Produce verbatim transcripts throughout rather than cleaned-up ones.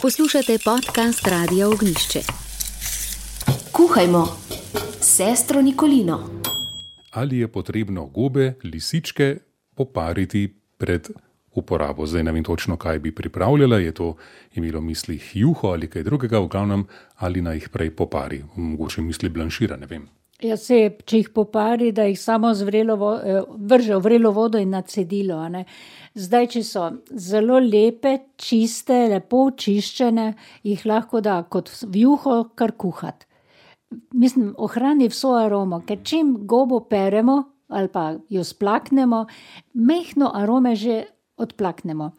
Poslušate podcast Radia Ognišče. Kuhajmo s sestro Nikolino. Ali je potrebno gobe, lisičke popariti pred uporabo? Zdaj ne vem točno, kaj bi pripravljala. Je to imelo v mislih juho ali kaj drugega, v glavnem, ali naj jih prej popari. Mogoče misli blanšira, ne vem. Ja, se, če jih popari, da jih samo zvrelo, vrže v vrelo vodo in na cedilo. A ne. Zdaj, če so zelo lepe, čiste, lepo očiščene, jih lahko da kot v juho kar kuhati. Mislim, ohrani vso aromo, ker čim gobo peremo ali pa jo splaknemo, mehno arome že odplaknemo.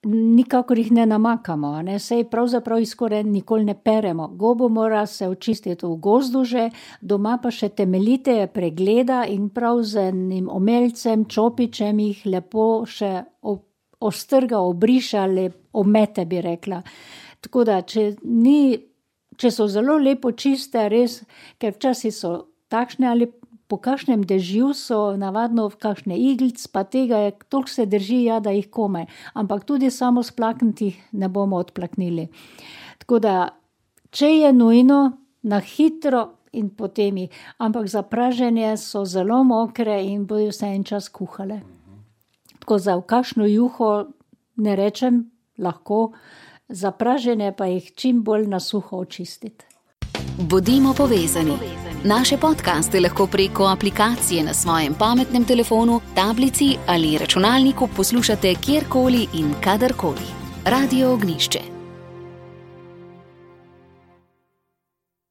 Nikakor jih ne namakamo, ne? Sej pravzaprav jih skoraj nikoli ne peremo. Gobo mora se očistiti v gozdu že, doma pa še temeljite pregleda in prav z enim omelcem, čopičem jih lepo še ostrga, obriša ali omete, bi rekla. Tako da, če, ni, če so zelo lepo čiste, res, ker včasih so takšne ali po kakšnem dežju so navadno v kakšne iglic, pa tega je, toliko se drži, ja, da jih komaj. Ampak tudi samo splakniti ne bomo odplaknili. Tako da, če je nujno, na hitro in potem jih. Ampak za praženje so zelo mokre in bodo vse en čas kuhale. Tako za v kakšno juho ne rečem, lahko, za praženje pa jih čim bolj na suho očistiti. Bodimo povezani. Naše podcaste lahko preko aplikacije na svojem pametnem telefonu, tablici ali računalniku poslušate kjerkoli in kadarkoli. Radio Ognišče.